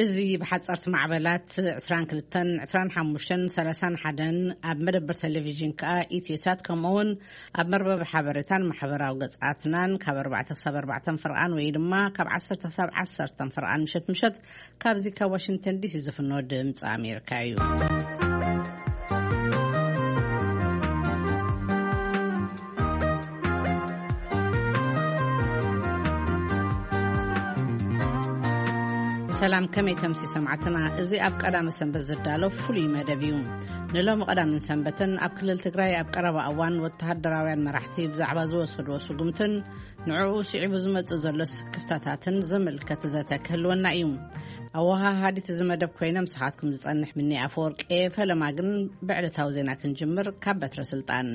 እዚ ብሓጸርቲ ማዕበላት ዕስራን ክልተን፣ ዕስራን ሓሙሽተን፣ ሰላሳን ሓደን ኣብ መደበር ቴሌቪዥን ከኣ ኢትዮሳት፣ ከምኡውን ኣብ መርበብ ሓበሬታን ማሕበራዊ ገጻትናን ካብ ኣርባዕተ ክሳብ ኣርባዕተ ፍርቓን ወይ ድማ ካብ ዓሰርተ ክሳብ ዓሰርተ ፍርቓን ምሸት ምሸት ካብዚ ካብ ዋሽንግተን ዲሲ ዝፍኖ ድምፂ ኣሜሪካ እዩ። ሰላም፣ ከመይ ተምሲ ሰማዕትና? እዚ ኣብ ቀዳመ ሰንበት ዝዳሎ ፍሉይ መደብ እዩ። ንሎሚ ቀዳምን ሰንበትን ኣብ ክልል ትግራይ ኣብ ቀረባ እዋን ወተሃደራውያን መራሕቲ ብዛዕባ ዝወሰድዎ ስጉምትን ንዕኡ ስዒቡ ዝመጽእ ዘሎ ስክፍታታትን ዝምልከት ዘተ ክህልወና እዩ። ኣወሃሃዲት እዚ መደብ ኮይነ ምሳኻትኩም ዝጸንሕ ምኒ ኣፈወርቂ፣ ፈለማ ግን ብዕለታዊ ዜና ክንጅምር ካብ በትረ ስልጣን።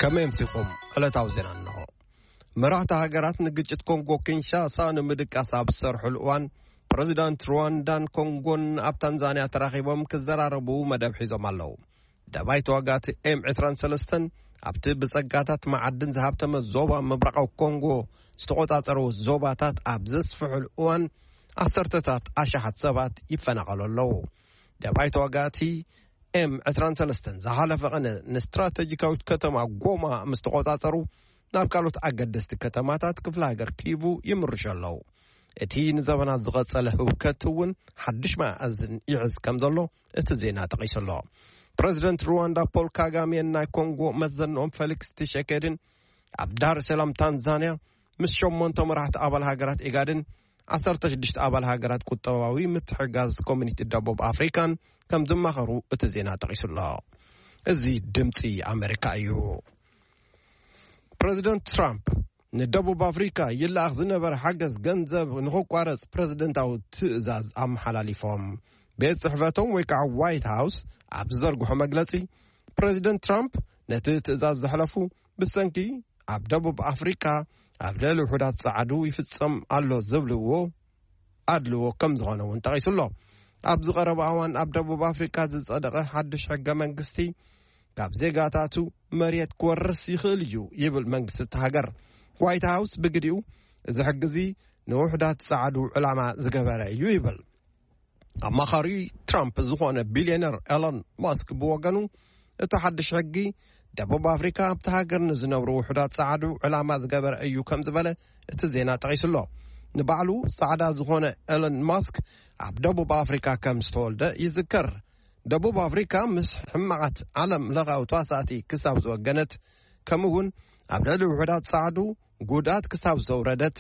ከመይ ኣምሲኹም? ዕለታዊ ዜና እንሆ። መራሕቲ ሃገራት ንግጭት ኮንጎ ኪንሻሳ ንምድቃስ ኣብ ዝሰርሑሉ እዋን፣ ፕረዚዳንት ሩዋንዳን ኮንጎን ኣብ ታንዛንያ ተራኺቦም ክዘራረቡ መደብ ሒዞም ኣለዉ። ደባይ ተዋጋእቲ ኤም ዕስራን ሰለስተን ኣብቲ ብጸጋታት መዓድን ዝሃብተመ ዞባ ምብራቓዊ ኮንጎ ዝተቖጻጸርዎ ዞባታት ኣብ ዘስፍሑሉ እዋን፣ ዓሰርተታት ኣሽሓት ሰባት ይፈናቐሉ ኣለዉ። ደባይ ተዋጋእቲ ኤም ዕስራን ሰለስተን ዝሓለፈ ቐነ ንስትራተጂካዊት ከተማ ጎማ ምስ ተቖጻጸሩ፣ ናብ ካልኦት ኣገደስቲ ከተማታት ክፍለ ሃገር ኪቡ ይምርሹ ኣለዉ። እቲ ንዘበናት ዝቐጸለ ህውከት እውን ሓድሽ መኣዝን ይሕዝ ከም ዘሎ እቲ ዜና ጠቒሱ ኣሎ። ፕረዚደንት ሩዋንዳ ፖል ካጋሜን ናይ ኮንጎ መዘንኦም ፌሊክስ ቲሸኬድን ኣብ ዳር ሰላም ታንዛንያ ምስ ሸሞንተ መራሕቲ ኣባል ሃገራት ኢጋድን ዓሰርተ ሽዱሽተ ኣባል ሃገራት ቁጠባዊ ምትሕጋዝ ኮሚኒቲ ደቡብ ኣፍሪካን ከም ዝማኸሩ እቲ ዜና ጠቒሱ ኣሎ። እዚ ድምፂ ኣሜሪካ እዩ። ፕረዚደንት ትራምፕ ንደቡብ ኣፍሪካ ይለኣኽ ዝነበረ ሓገዝ ገንዘብ ንኽቋረጽ ፕረዚደንታዊ ትእዛዝ ኣመሓላሊፎም። ቤት ጽሕፈቶም ወይ ከዓ ዋይት ሃውስ ኣብ ዝዘርግሖ መግለጺ፣ ፕረዚደንት ትራምፕ ነቲ ትእዛዝ ዘሕለፉ ብሰንኪ ኣብ ደቡብ ኣፍሪካ ኣብ ልዕሊ ውሑዳት ጸዓዱ ይፍጸም ኣሎ ዝብልዎ ኣድልዎ ከም ዝኾነ እውን ጠቒሱ ኣሎ። ኣብዚ ቀረባ እዋን ኣብ ደቡብ ኣፍሪካ ዝጸደቐ ሓድሽ ሕገ መንግስቲ ካብ ዜጋታቱ መሬት ክወርስ ይኽእል እዩ ይብል መንግስቲ እቲ ሃገር። ዋይት ሃውስ ብግዲኡ፣ እዚ ሕጊ እዚ ንውሑዳት ጸዓዱ ዕላማ ዝገበረ እዩ ይብል። ኣማኻሪ ትራምፕ ዝኾነ ቢልዮነር ኤሎን ማስክ ብወገኑ፣ እቲ ሓድሽ ሕጊ ደቡብ ኣፍሪካ ኣብቲ ሃገር ንዝነብሩ ውሑዳት ጸዓዱ ዕላማ ዝገበረ እዩ ከም ዝበለ እቲ ዜና ጠቒሱ ኣሎ። ንባዕሉ ጻዕዳ ዝኾነ ኤሎን ማስክ ኣብ ደቡብ ኣፍሪካ ከም ዝተወልደ ይዝከር። ደቡብ ኣፍሪካ ምስ ሕማቓት ዓለም ለኻዊ ተዋሳእቲ ክሳብ ዝወገነት፣ ከምኡ እውን ኣብ ልዕሊ ውሑዳት ጸዓዱ ጉድኣት ክሳብ ዘውረደት፣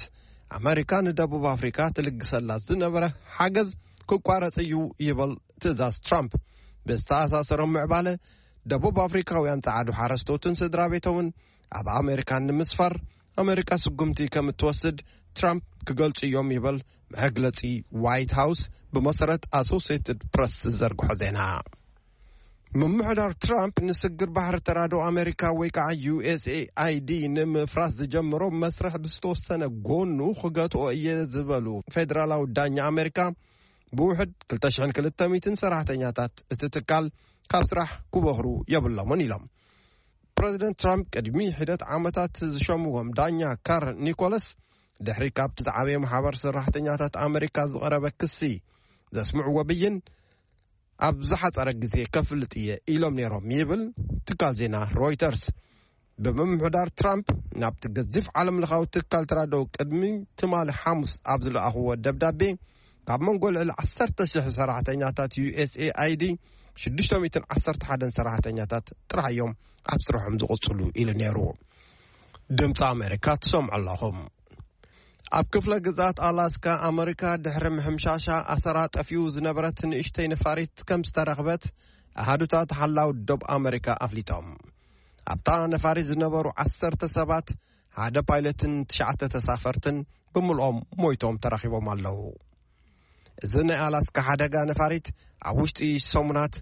ኣመሪካ ንደቡብ ኣፍሪካ ትልግሰላ ዝነበረ ሓገዝ ክቋረጽ እዩ ይብል ትእዛዝ ትራምፕ። ብዝተኣሳሰሮም ምዕባለ፣ ደቡብ ኣፍሪካውያን ጸዓዱ ሓረስቶትን ስድራ ቤቶምን ኣብ ኣሜሪካ ንምስፋር ኣሜሪካ ስጉምቲ ከም እትወስድ ትራምፕ ክገልጹ እዮም ይብል መግለጺ ዋይት ሃውስ፣ ብመሰረት ኣሶሲየትድ ፕረስ ዝዘርግሖ ዜና። ምምሕዳር ትራምፕ ንስግር ባሕሪ ተራድኦ ኣሜሪካ ወይ ከዓ ዩ ኤስ ኤ ኣይ ዲ ንምፍራስ ዝጀመሮ መስርሕ ብዝተወሰነ ጎኑ ክገትኦ እየ ዝበሉ ፌደራላዊ ዳኛ ኣሜሪካ፣ ብውሕድ ክልተ ሽሕን ክልተ ሚእትን ሰራሕተኛታት እቲ ትካል ካብ ስራሕ ክበኽሩ የብሎምን ኢሎም። ፕረዚደንት ትራምፕ ቅድሚ ሒደት ዓመታት ዝሸምዎም ዳኛ ካር ኒኮለስ፣ ድሕሪ ካብቲ ዝዓበየ ማሕበር ሰራሕተኛታት ኣሜሪካ ዝቐረበ ክሲ ዘስምዕዎ ብይን፣ ኣብ ዝሓጸረ ግዜ ከፍልጥ እየ ኢሎም ነይሮም ይብል ትካል ዜና ሮይተርስ። ብምምሕዳር ትራምፕ ናብቲ ገዚፍ ዓለም ለኻዊ ትካል ተራድኦ ቅድሚ ትማሊ ሓሙስ ኣብ ዝለኣኽዎ ደብዳቤ፣ ካብ መንጎ ልዕሊ ዓሰርተ ሽሕ ሰራሕተኛታት ዩ ኤስ ኤ ኣይ ዲ ሽዱሽተ ሚእትን ዓሰርተ ሓደን ሰራሕተኛታት ጥራሕ እዮም ኣብ ስርሖም ዝቕጽሉ ኢሉ ነይሩ። ድምፂ ኣሜሪካ ትሰምዑ ኣለኹም። ኣብ ክፍለ ግዝኣት ኣላስካ ኣመሪካ ድሕሪ ምሕምሻሻ ኣሰራ ጠፊኡ ዝነበረት ንእሽተይ ነፋሪት ከም ዝተረኽበት ኣሃዱታት ሓላው ዶብ ኣመሪካ ኣፍሊጦም። ኣብታ ነፋሪት ዝነበሩ ዓሰርተ ሰባት፣ ሓደ ፓይለትን ትሽዓተ ተሳፈርትን ብምልኦም ሞይቶም ተረኺቦም ኣለዉ። እዚ ናይ ኣላስካ ሓደጋ ነፋሪት ኣብ ውሽጢ ሰሙናት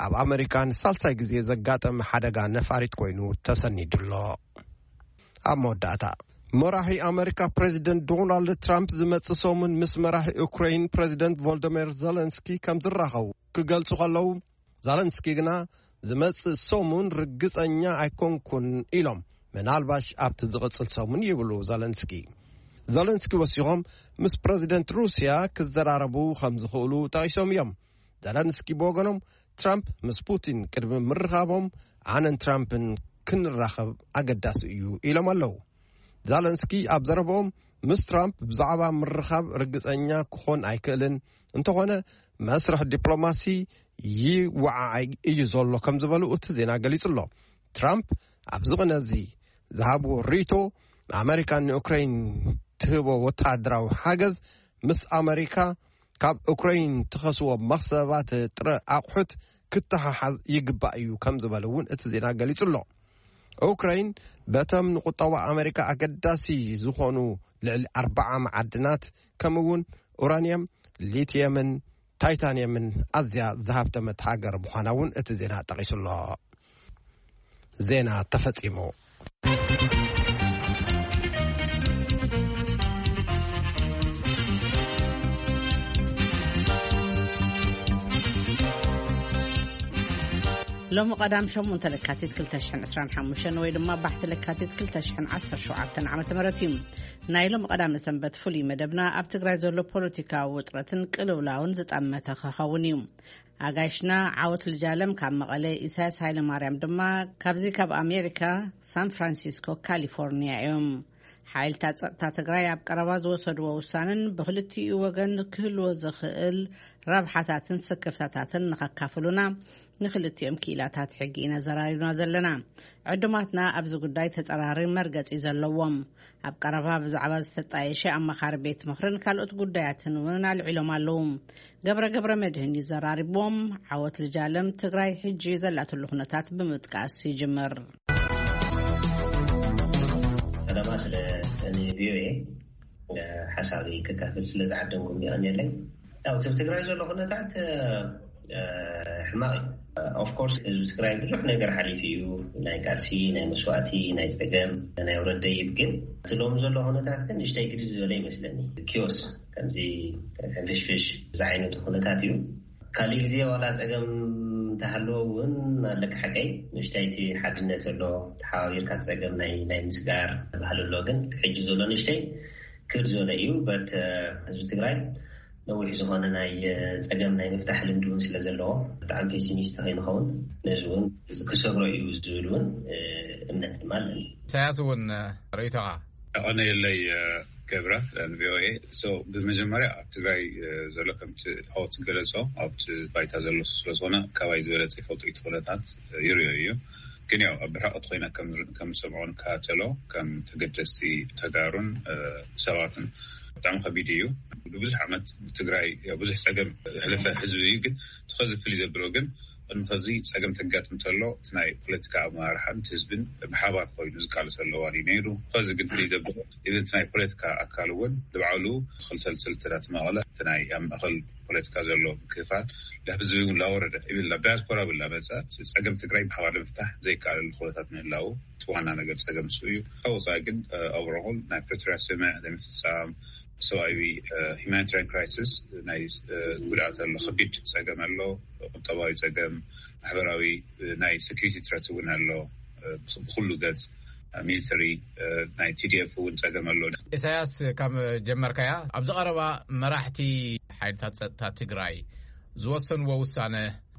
ኣብ ኣመሪካ ንሳልሳይ ግዜ ዘጋጠመ ሓደጋ ነፋሪት ኮይኑ ተሰኒዱ ኣሎ። ኣብ መወዳእታ፣ መራሒ ኣመሪካ ፕሬዚደንት ዶናልድ ትራምፕ ዝመጽእ ሰሙን ምስ መራሒ ዩክሬን ፕሬዚደንት ቮልደሚር ዘለንስኪ ከም ዝራኸቡ ክገልጹ ከለዉ፣ ዘለንስኪ ግና ዝመጽእ ሰሙን ርግጸኛ ኣይኮንኩን ኢሎም፣ ምናልባሽ ኣብቲ ዝቕጽል ሰሙን ይብሉ ዘለንስኪ። ዘለንስኪ ወሲኾም፣ ምስ ፕረዚደንት ሩስያ ክዘራረቡ ከም ዝኽእሉ ጠቒሶም እዮም። ዘለንስኪ ብወገኖም፣ ትራምፕ ምስ ፑቲን ቅድሚ ምርኻቦም ኣነን ትራምፕን ክንራኸብ ኣገዳሲ እዩ ኢሎም ኣለዉ። ዛለንስኪ ኣብ ዘረባኦም፣ ምስ ትራምፕ ብዛዕባ ምርኻብ ርግጸኛ ክኾን ኣይክእልን፣ እንተኾነ መስርሕ ዲፕሎማሲ ይወዓዓይ እዩ ዘሎ ከም ዝበሉ እቲ ዜና ገሊጹ ኣሎ። ትራምፕ ኣብዚ ቅነ እዚ ዝሃብዎ ርእይቶ፣ ኣመሪካ ንኡክራይን ትህቦ ወተሃደራዊ ሓገዝ ምስ ኣመሪካ ካብ ኡክራይን ትኸስዎ መኽሰባት ጥረ ኣቑሑት ክተሓሓዝ ይግባእ እዩ ከም ዝበለ እውን እቲ ዜና ገሊጹ ኣሎ። ኡክራይን በቶም ንቁጠባ ኣመሪካ ኣገዳሲ ዝኾኑ ልዕሊ ኣርባዓ መዓድናት፣ ከምኡ እውን ኡራንየም፣ ሊትየምን ታይታንየምን ኣዝያ ዝሃብተመት ሃገር ምዃና እውን እቲ ዜና ጠቒሱ ኣሎ። ዜና ተፈጺሙ። ሎሚ ቀዳም ሸሞንተ ለካቲት ክልተ ሽሕን ዕስራን ሓሙሽተን ወይ ድማ ባሕቲ ለካቲት ክልተ ሽሕን ዓሰርተ ሸውዓተን ዓመተ ምህረት እዩ። ናይ ሎሚ ቀዳመ ሰንበት ፍሉይ መደብና ኣብ ትግራይ ዘሎ ፖለቲካዊ ውጥረትን ቅልውላውን ዝጠመተ ክኸውን እዩ። ኣጋይሽና ዓወት ልጃለም ካብ መቐለ፣ ኢሳያስ ሃይለማርያም ድማ ካብዚ ካብ ኣሜሪካ ሳን ፍራንሲስኮ ካሊፎርኒያ እዮም። ሓይልታት ጸጥታ ትግራይ ኣብ ቀረባ ዝወሰድዎ ውሳነን ብክልቲኡ ወገን ክህልዎ ዝኽእል ረብሓታትን ስክፍታታትን ንኸካፍሉና ንክልቲኦም ክኢላታት ሕጊ ኢና ዘራሪብና ዘለና። ዕዱማትና ኣብዚ ጉዳይ ተጸራሪ መርገጺ ዘለዎም፣ ኣብ ቀረባ ብዛዕባ ዝተጣየሸ ኣማኻሪ ቤት ምኽርን ካልኦት ጉዳያትን እውን ኣልዒሎም ኣለዉ። ገብረ ገብረ መድህን እዩ ዘራሪብዎም። ዓወት ልጃለም ትግራይ ሕጂ ዘላትሉ ኩነታት ብምጥቃስ ይጅምር። ቀዳማ ስለ ቪኦኤ ሓሳቢ ክካፈል ስለ ዝዓደምኩም ይቐንየለይ። ያው እቲ ትግራይ ዘሎ ኩነታት ሕማቕ እዩ። ኦፍኮርስ ህዝቢ ትግራይ ብዙሕ ነገር ሓሊፉ እዩ። ናይ ቃልሲ፣ ናይ መስዋእቲ፣ ናይ ፀገም፣ ናይ ውረድ ደይብ። ግን እቲ ሎሚ ዘሎ ኩነታት ግን ንእሽተይ ግድል ዝበለ ይመስለኒ። ኪዮስ ከምዚ ሕንፍሽፍሽ ዝዓይነቱ ኩነታት እዩ። ካሊእ ግዜ ዋላ ፀገም እንተሃለዎ እውን ኣለካ ሓቀይ ንእሽተይ እቲ ሓድነት ዘሎ ተሓባቢርካ ፀገም ናይ ናይ ምስጋር ባህሊ ኣሎ። ግን ሕጂ ዘሎ ንእሽተይ ክድ ዝበለ እዩ። በት ህዝቢ ትግራይ ነዊሕ ዝኾነ ናይ ፀገም ናይ ምፍታሕ ልምዲ እውን ስለ ዘለዎ ብጣዕሚ ፔሲሚስት ከይንኸውን ነዚ እውን ክሰግሮ እዩ ዝብል እውን እምነት ድማ ኣለኒ። ኢሳያስ እውን ርእይቶኻ? ኣቐነየለይ ገብረ ንቪኦኤ። ብመጀመርያ ኣብ ትግራይ ዘሎ ከምቲ ኦት ገለጾ ኣብቲ ባይታ ዘሎ ስለዝኾነ ካባይ ዝበለጸ ይፈልጦ እቲ ኩነታት ይርዮ እዩ። ግን ያው ኣብ ብርሕቐት ኮይና ከም ዝሰምዖ ንከታተሎ ከም ተገደስቲ ተጋሩን ሰባትን ብጣዕሚ ከቢድ እዩ። ብዙሕ ዓመት ትግራይ ብዙሕ ፀገም ሕለፈ ህዝቢ እዩ። ግን ትኸዚ ፍልይ ዘብሎ ግን ቅድሚ ከዚ ፀገም ተጋጥም ተሎ እቲ ናይ ፖለቲካ ኣመራርሓን እቲ ህዝብን ብሓባር ኮይኑ ዝቃለሰሉ እዋን እዩ ነይሩ። ከዚ ግን ፍልይ ዘብሎ ኢቨን እቲ ናይ ፖለቲካ ኣካል እውን ንባዕሉ ክልተልትል ተዳትመቐለ እቲ ናይ ኣብ ማእኸል ፖለቲካ ዘሎ ምክፍፋል ናብ ህዝቢ እውን ላወረደ ኢብል ናብ ዳያስፖራ እውን ላመፀ ፀገም ትግራይ ብሓባር ንምፍታሕ ዘይከኣለሉ ኩነታት ምህላው እቲ ዋና ነገር ፀገም እሱ እዩ። ካብ ወፃኢ ግን ኣብረኹል ናይ ፕሪቶሪያ ስምምዕ ዘይምፍፃም ሰብኣዊ ሂማኒታሪያን ክራይሲስ ናይ ጉድኣት ኣሎ፣ ከቢድ ፀገም ኣሎ፣ ቁጠባዊ ፀገም፣ ማሕበራዊ ናይ ሴኩሪቲ ትረት እውን ኣሎ። ብኩሉ ገፅ ሚሊተሪ ናይ ቲዲኤፍ እውን ፀገም ኣሎ። ኢሳያስ ካብ ጀመርካያ ኣብዚ ቀረባ መራሕቲ ሓይልታት ፀጥታ ትግራይ ዝወሰንዎ ውሳነ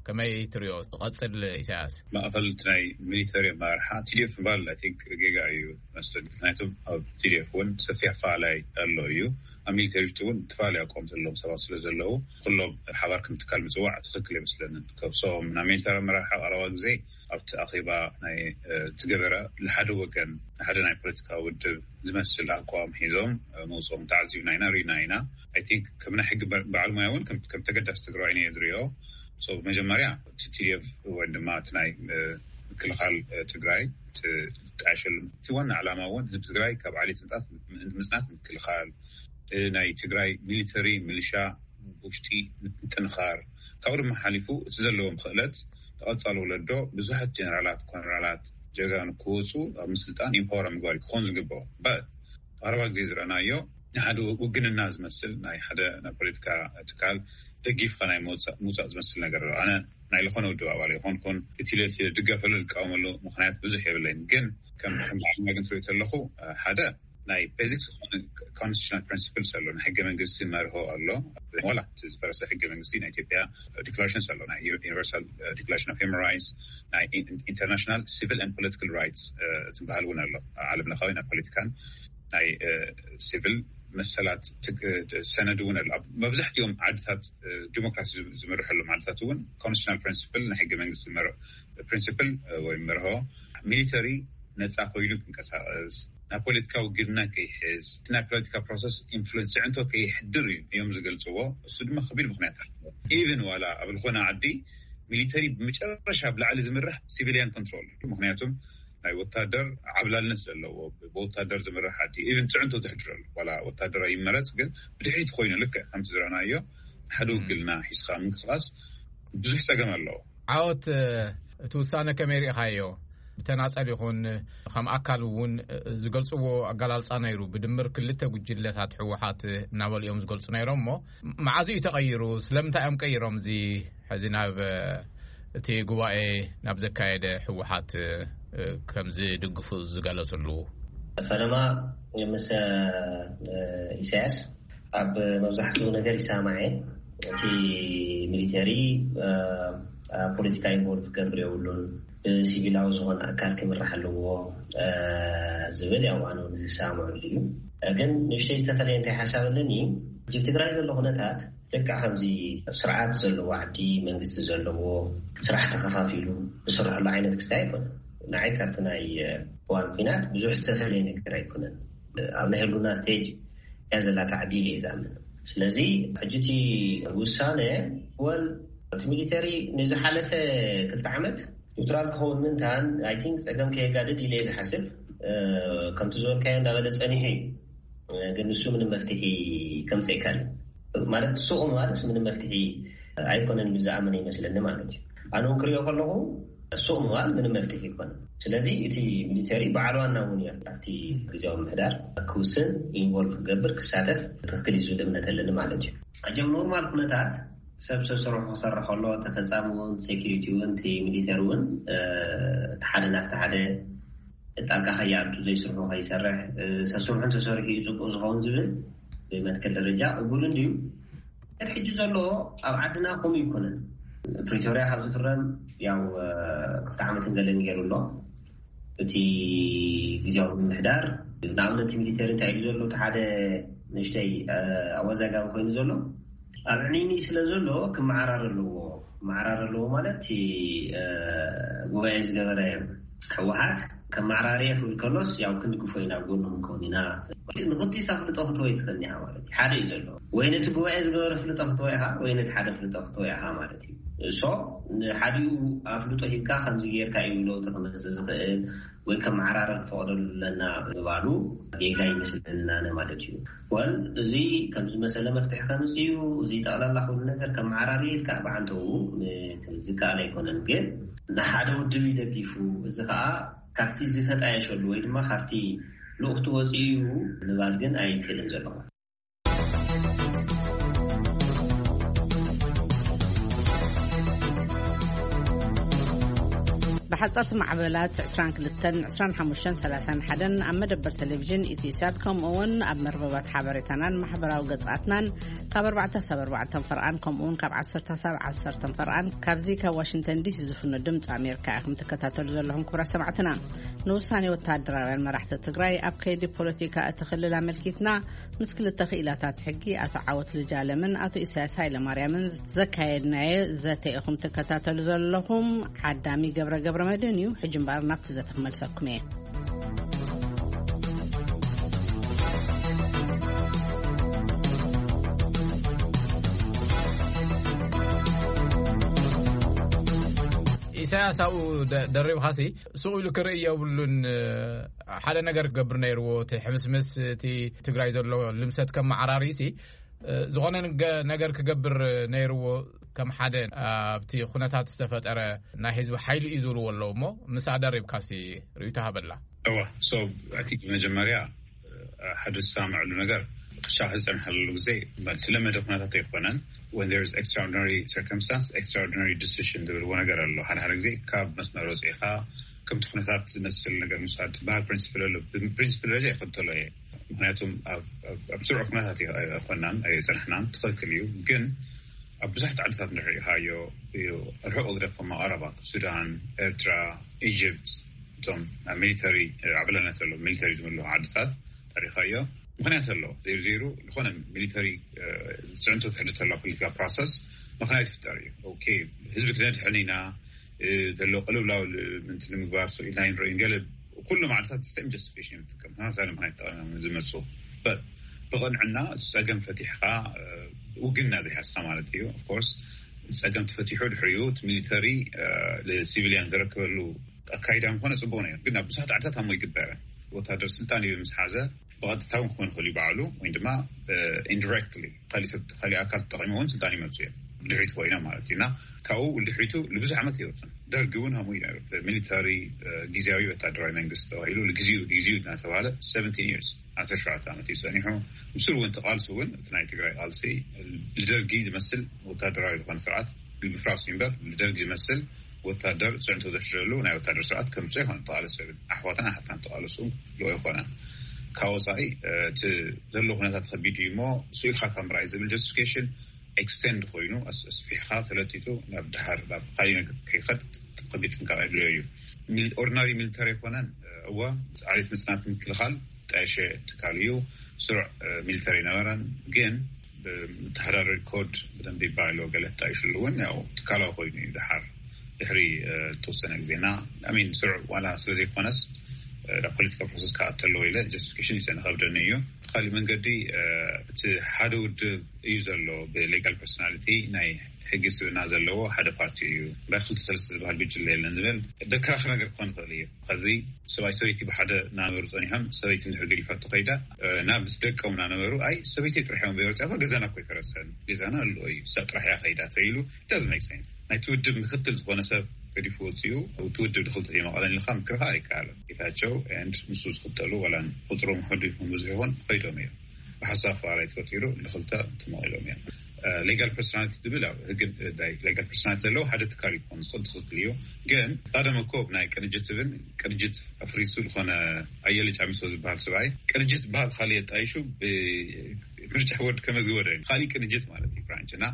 ከመይ ትሪኦ ዝቐፅል ኢሳያስ? ማእኸል እቲ ናይ ሚሊተሪ ኣመራርሓ ቲዲኤፍ ምባል ኣይ ቲንክ ጌጋ እዩ መስለኒ። ምክንያቱም ኣብ ቲዲኤፍ እውን ሰፊሕ ኣፈላላይ ኣሎ እዩ። ኣብ ሚሊተሪ ውሽጢ እውን ዝተፈላለዩ ኣቋም ዘለዎም ሰባት ስለ ዘለዉ ኩሎም ሓባር ከም ትካል ምፅዋዕ ትኽክል ኣይመስለንን። ከብሶም ናብ ሚሊተሪ ኣመራርሓ ቀረባ ግዜ ኣብቲ ኣኼባ ናይ ዝገበረ ንሓደ ወገን ንሓደ ናይ ፖለቲካ ውድብ ዝመስል ኣቋም ሒዞም መውፅኦም ተዓዚብና ኢና ርኢና ኢና። ኣይ ቲንክ ከም ናይ ሕጊ በዓል ሞያ እውን ከም ተገዳሲ ትግራዋይ እየ ዝሪኦ። መጀመርያ እቲ ቲዲኤፍ ወይ ድማ እቲ ናይ ምክልኻል ትግራይ ጣሸሉ እቲ ዋና ዕላማ እውን ህዝቢ ትግራይ ካብ ዓሌት ምፅናት ምክልኻል፣ ናይ ትግራይ ሚሊተሪ ሚሊሻ ውሽጢ ምጥንኻር፣ ካብኡ ድማ ሓሊፉ እቲ ዘለዎም ክእለት ንቐፃሊ ወለዶ ብዙሓት ጀነራላት፣ ኮነራላት፣ ጀጋኑ ክወፁ ኣብ ምስልጣን ኢምፓወር ምግባር ክኾን ዝግብኦ። ቀረባ ግዜ ዝረኣናዮ ንሓደ ውግንና ዝመስል ናይ ሓደ ናይ ፖለቲካ ትካል ደጊፍካ ናይ ምውፃእ ዝመስል ነገር ኣሎ። ኣነ ናይ ዝኾነ ውድብ ኣባል ኣይኮንኩን። እቲ ለቲ ድገፈሉ ዝቃወመሉ ምክንያት ብዙሕ የብለይን። ግን ከም ከም ዓለምና ግን ትሪኦ ተለኹ ሓደ ናይ ቤዚክ ዝኾነ ኮንስቲቱሽናል ፕሪንሲፕልስ ኣሎ። ናይ ሕገ መንግስቲ መርሆ ኣሎ። ዋላ እቲ ዝፈረሰ ሕገ መንግስቲ ናይ ኢትዮጵያ ዲክላሬሽንስ ኣሎ። ናይ ዩኒቨርሳል ዲክላሬሽን ኦፍ ሂውማን ራይትስ፣ ናይ ኢንተርናሽናል ሲቪል ን ፖለቲካል ራይትስ ዝበሃል እውን ኣሎ። ዓለም ለኻዊ ናይ ፖለቲካን ናይ ሲቪል መሰላት ሰነድ እውን ኣሎ። ኣብ መብዛሕትኦም ዓድታት ዲሞክራሲ ዝምርሐሎም ዓድታት እውን ኮንስቲቱሽናል ፕሪንሲፕል፣ ናይ ሕገ መንግስቲ ፕሪንሲፕል ወይ መርሆ፣ ሚሊተሪ ነፃ ኮይኑ ክንቀሳቀስ፣ ናብ ፖለቲካዊ ግድና ከይሕዝ፣ እቲ ናይ ፖለቲካ ፕሮሰስ ኢንፍሉንስ፣ ፅዕንቶ ከይሕድር እዩ እዮም ዝገልፅዎ። እሱ ድማ ከቢድ ምክንያት ኣለዎ። ኢቨን ዋላ ኣብ ዝኾነ ዓዲ ሚሊተሪ ብመጨረሻ ብላዕሊ ዝምራሕ ሲቪሊያን ኮንትሮል እዩ። ምክንያቱም ናይ ወታደር ዓብላልነት ዘለዎ፣ ብወታደር ዝምራሕ ዓዲ ኢቨን ፅዕንቶ ተሕድረሉ፣ ዋላ ወታደራዊ ይመረፅ፣ ግን ብድሕሪት ኮይኑ ልክዕ ከምቲ ዝረኣናዮ ሓደ ውግልና ሒዝካ ምንቅስቃስ ብዙሕ ፀገም ኣለዎ። ዓወት፣ እቲ ውሳነ ከመይ ርኢኻዮ? ብተናጸል ይኹን ከም ኣካል እውን ዝገልጽዎ ኣገላልጻ ነይሩ። ብድምር ክልተ ጉጅለታት ህወሓት እናበሉ እዮም ዝገልጹ ነይሮም። እሞ መዓዝ እዩ ተቐይሩ? ስለምንታይ እዮም ቀይሮም? እዚ ሕዚ ናብ እቲ ጉባኤ ናብ ዘካየደ ህወሓት ከም ዝድግፉ ዝገለጽሉ? ፈለማ ምስ ኢሳያስ ኣብ መብዛሕትኡ ነገር ይሰማማዕ እየ። እቲ ሚሊተሪ ኣብ ፖለቲካ ኢንቮልቭ ክገብር የብሉን፣ ብሲቪላዊ ዝኾነ ኣካል ክምራሕ ኣለዎ ዝብል፣ ያው ኣነ እውን ዝሰማምዐሉ እዩ። ግን ንእሽተይ ዝተፈለየ እንታይ ሓሳብ ኣለኒ፣ ኣብ ትግራይ ዘሎ ኩነታት ልክዕ ከምዚ ስርዓት ዘለዎ ዓዲ፣ መንግስቲ ዘለዎ፣ ስራሕ ተኸፋፊሉ ዝስርሐሉ ዓይነት ክስታይ ኣይኮነን። ንዓይ ካብቲ ናይ እዋን ኲናት ብዙሕ ዝተፈለየ ነገር ኣይኮነን። ኣብ ናይ ህሉና ስቴጅ እያ ዘላ ታዕዲል እየ ዝኣምን። ስለዚ ሕጂ እቲ ውሳነ፣ ወል እቲ ሚሊተሪ ንዝሓለፈ ክልተ ዓመት ኒውትራል ክኸውን ምንታን፣ ኣይ ቲንክ፣ ጸገም ከየጋድድ ኢለ እየ ዝሓስብ። ከምቲ ዝበልካዮ እንዳበለ ጸኒሑ እዩ። ግን ንሱ ምንም መፍትሒ ከምጽእ ኣይካልን ማለት፣ ሱቕ ምባልስ ምንም መፍትሒ ኣይኮነን ኢሉ ዝኣምን ይመስለኒ ማለት እዩ። ኣነ እውን ክሪኦ ከለኹ ሱቕ ምባል ምንም መፍትሒ ኣይኮነን። ስለዚ እቲ ሚሊተሪ በዓል ዋና እውን እዩ ኣብቲ ግዜያዊ ምሕዳር ክውስን፣ ኢንቮልቭ ክገብር፣ ክሳተፍ ትኽክል እዩ ዝብል እምነት ኣለኒ ማለት እዩ። ኣጀም ኖርማል ኩነታት ሰብ ሰስርሑ ክሰርሕ ከሎ፣ ተፈጻሚ እውን፣ ሴኪሪቲ እውን፣ እቲ ሚሊተሪ እውን ሓደ ናብቲ ሓደ ጣልቃ ከይኣቱ፣ ዘይስርሑ ከይሰርሕ፣ ሰስርሑ እንተሰሪሑ እዩ ጽቡቅ ዝኸውን ዝብል ብመትከል ደረጃ ቅቡል እንድዩ። ግን ሕጂ ዘሎ ኣብ ዓድና ከምኡ ይኮነን። ፕሪቶርያ ካብ ዝፍረም ያው ክልተ ዓመትን ገለን ገይሩ ኣሎ። እቲ ግዜያዊ ምምሕዳር ንኣብነት ሚሊተሪ እንታይ ኢሉ ዘሎ፣ እቲ ሓደ ንእሽተይ ኣወዛጋቢ ኮይኑ ዘሎ፣ ኣብ ዕኒኒ ስለ ዘሎ ክመዓራር ኣለዎ። ክመዓራር ኣለዎ ማለት እቲ ጉባኤ ዝገበረ ህወሓት ከመዓራርየ ክብል ከሎስ ያው ክንድግፎ ኢና፣ ኣብ ጎንኹም ከውን ኢና። ንክልቲኡ ኣፍልጦ ክትወ ይትኽእል ኢኻ ማለት እዩ። ሓደ እዩ ዘሎ። ወይ ነቲ ጉባኤ ዝገበረ ፍልጦ ክትወ ኢኻ፣ ወይ ነቲ ሓደ ፍልጦ ክትወ ኢኻ ማለት እዩ። እሶ ንሓዲኡ ኣፍልጦ ሂብካ ከምዚ ጌርካ እዩ ለውጢ ክመጽእ ዝኽእል ወይ ከመዓራረር ክፈቕደሉ ኣለና ምባሉ ጌጋ ይመስለና ኣነ ማለት እዩ። ወል እዚ ከም ዝመሰለ መፍትሒ ከምጽእ እዩ። እዚ ጠቕላላ ኩሉ ነገር ከመዓራሪ ኢልካ ብዓንተኡ ዝከኣል ኣይኮነን። ግን ንሓደ ውድብ ይደጊፉ፣ እዚ ከኣ ካብቲ ዝተጣየሸሉ ወይ ድማ ካብቲ ልኡኽቲ ወፂኡ እዩ ምባል ግን ኣይክእልን ዘለኹ። ብሓፀርቲ ማዕበላት ዕስራን ክልተን፣ ዕስራን ሓሙሽተን፣ ሰላሳን ሓደን ኣብ መደበር ቴሌቪዥን ኢትዮ ሳት፣ ከምኡ እውን ኣብ መርበባት ሓበሬታናን ማሕበራዊ ገጻትናን ካብ ኣርባዕተ ሳብ ኣርባዕተ ፈርቓን፣ ከምኡ እውን ካብ ዓሰርተ ሳብ ዓሰርተ ፈርቓን፣ ካብዚ ካብ ዋሽንግተን ዲሲ ዝፍኖ ድምፂ ኣሜሪካ ኢኹም ትከታተሉ ዘለኹም። ክቡራት ሰማዕትና፣ ንውሳኔ ወታደራውያን መራሕቲ ትግራይ ኣብ ከይዲ ፖለቲካ እቲ ክልል ኣመልኪትና ምስ ክልተ ክኢላታት ሕጊ ኣቶ ዓወት ልጃለምን ኣቶ ኢሳያስ ሃይለማርያምን ዘካየድናዮ ዘተ ኢኹም ትከታተሉ ዘለኹም። ዓዳሚ ገብረ ገብረ መድህን እዩ። ሕጂ እምበኣር ናብቲ ዘተ ክመልሰኩም እየ። ኢሳያስ ኣብኡ ደ-፣ ደሪብኻሲ ሱቕ ኢሉ ክርኢ የብሉን። ሓደ ነገር ክገብር ነይርዎ፣ እቲ ሕምስምስ እቲ ትግራይ ዘሎ ልምሰት ከመዓራርይሲ፣ ዝኾነ ንገ-፣ ነገር ክገብር ነይርዎ። ከም ሓደ ኣብቲ ኩነታት ዝተፈጠረ ናይ ህዝቢ ሓይሊ እዩ ዝብልዎ ኣለዉ። እሞ ምስኣ ደሪብካሲ ርእይቶ ሃበላ። እዋ፣ so፣ I think ብመጀመርያ ሓደ ዝሰማምዐሉ ነገር፣ ቅሻ ዝጸንሐሉ ግዜ፣ ማለት፣ ዝለመደ ኩነታት ኣይኮነን። When there is extraordinary circumstance, extraordinary decision ዝብልዎ ነገር ኣሎ። ሓደ ሓደ ግዜ ካብ መስመር ወፂእኻ ከምቲ ኩነታት ዝመስል ነገር ምውሳድ ዝበሃል ፕሪንሲፕል ኣሎ። ፕሪንሲፕል ደረጃ ይኸተሎ እየ። ምክንያቱም ኣብ ስርዑ ኩነታት ኣይኮናን ኣይፀናሕናን። ትኽክል እዩ። ግን ኣብ ብዙሓት ዓድታት ንሪኢኻዮ እዩ። ርሑቕ ግደፎ መቐረባ፣ ሱዳን፣ ኤርትራ፣ ኢጅፕት፣ እቶም ኣብ ሚሊተሪ ዓብላልነት ዘሎ ሚሊተሪ ዝምልኹ ዓድታት ጠሪኻዮ። ምክንያት ኣሎ። ዘይሩ ዘይሩ ዝኾነ ሚሊተሪ ፅዕንቶ ትሕድር ተላ ፖለቲካ ፕሮሰስ ምክንያት ይፍጠር እዩ። ኦኬ፣ ህዝቢ ክነድሕን ኢና ዘሎ ቅልውላው ምንቲ ንምግባር ኢልና ንርኢ። ገለ ኩሉ ማዕልታት ሰም ጀስቲፊኬሽን ይጥቀም። ተመሳሳሊ ምክንያት ተጠቂሞም ዝመፁ። ብቕንዕና እቲ ፀገም ፈቲሕካ ውግና ዘይሓዝካ ማለት እዩ። ኦፍኮርስ ፀገም ተፈቲሑ ድሕሪኡ እቲ ሚሊተሪ ንሲቪሊያን ዘረክበሉ ኣካይዳ ምኾነ ፅቡቅ ነይሩ። ግን ኣብ ብዙሓት ዓድታት ኣሞ ይግበረ። ወታደር ስልጣን እዩ ምስ ሓዘ ብቐጥታ እውን ክኾን ይኽእል እዩ ባዕሉ፣ ወይ ድማ ኢንዲሬክትሊ ካሊእ ሰብ ካሊእ ኣካል ተጠቂሙ እውን ስልጣን ይመፁ እዮም። ድሕሪት ኮይና ማለት እዩ። እና ካብኡ ድሕሪቱ ንብዙሕ ዓመት ይወፅን። ደርግ እውን ከምኡ እዩ ነይሩ። ሚሊታሪ ግዜያዊ ወታደራዊ መንግስቲ ተባሂሉ ንግዜኡ ግዜኡ እናተባሃለ ሰቨንቲን ይርስ፣ ዓሰርተ ሸውዓተ ዓመት እዩ ፀኒሑ። ምስሉ እውን ተቃልሱ እውን እቲ ናይ ትግራይ ቃልሲ ንደርጊ ዝመስል ወታደራዊ ዝኾነ ስርዓት ብምፍራሱ እምበር ንደርጊ ዝመስል ወታደር ፅዕንቶ ዘሽረሉ ናይ ወታደር ስርዓት ከምፅኦ ይኮነ ተቃለሱ ይብል። ኣሕዋትን ኣሓትናን ተቃለሱ ልኦ ይኮነ። ካብ ወፃኢ እቲ ዘሎ ኩነታት ከቢድ እዩ እሞ ስኢልካ ካብ ምርኣይ ዝብል ጀስቲፊኬሽን ኤክስቴንድ ኮይኑ ኣስፊሕካ ተለጢጡ ናብ ድሃር ናብ ካሊእ ነገር ከይኸድ ከቢድ ጥንቃቄ ድልዮ እዩ። ኦርዲናሪ ሚሊተሪ ኣይኮነን። እዋ ዓሌት ምፅናት ምክልኻል ጠሸ ትካል እዩ። ስሩዕ ሚሊተሪ ነበረን ግን ብተሓዳደሪ ኮድ ብደንብ ይባሎ ገለ ተጣይሽሉ እውን ያው ትካላዊ ኮይኑ እዩ። ድሓር ድሕሪ ተወሰነ ግዜና ሚን ስሩዕ ዋላ ስለ ዘይኮነስ ናብ ፖለቲካ ፕሮሰስ ክኣተለዎ ኢለ ጀስቲፊኬሽን ይሰነ ከብደኒ እዩ። ካሊእ መንገዲ እቲ ሓደ ውድብ እዩ ዘሎ ብሌጋል ፐርሶናሊቲ ናይ ሕጊ ስብና ዘለዎ ሓደ ፓርቲ እዩ። በር ክልተ ሰለስተ ዝበሃል ጉጅለ የለን ዝብል ደከራኸ ነገር ክኾን ይኽእል እዩ። ከዚ ሰብኣይ ሰበይቲ ብሓደ እናነበሩ ፀኒሖም ሰበይቲ ንድሕር ገዲፋ ተኸይዳ ናብ ምስ ደቀም እናነበሩ ኣይ ሰበይቲ ጥራሕ እዮም በይወፅያ ገዛና እኮ ይፈረሰን ገዛና ኣሎ እዩ ሳ ጥራሕ እያ ከይዳ ተይሉ ዳዝ ሜክ ሴንስ። ናይ ትውድብ ምክትል ዝኾነ ሰብ ገዲፉ ወፅኡ ትውድብ ድክልተ የመቐለን ኢልካ ምክርካ ኣይከኣለን። ጌታቸው ንሱ ዝክተሉ ዋላ ቁፅሮም ሕዱ ይኹን ብዙሕ ይኹን ከይዶም እዮም። ብሓሳብ ፈራይ ተፈጢሩ ንክልተ ተመቒሎም እዮም። ሌጋል ፐርሶናሊቲ ትብል ኣብ ህግን ሌጋል ፐርሶናሊቲ ዘለዎ ሓደ ትካል ይኮን ዝኽእል ትኽክል እዩ። ግን ቀደም እኮ ናይ ቅንጅት ትብል ቅንጅት ኣፍሪሱ ዝኾነ ኣየለ ጫሚሶ ዝበሃል ሰብኣይ ቅንጅት ዝበሃል ካሊእ የጣይሹ ምርጫ ቦርድ ከመዝግቦ ዶ ካሊእ ቅንጅት ማለት እዩ ብራንች እና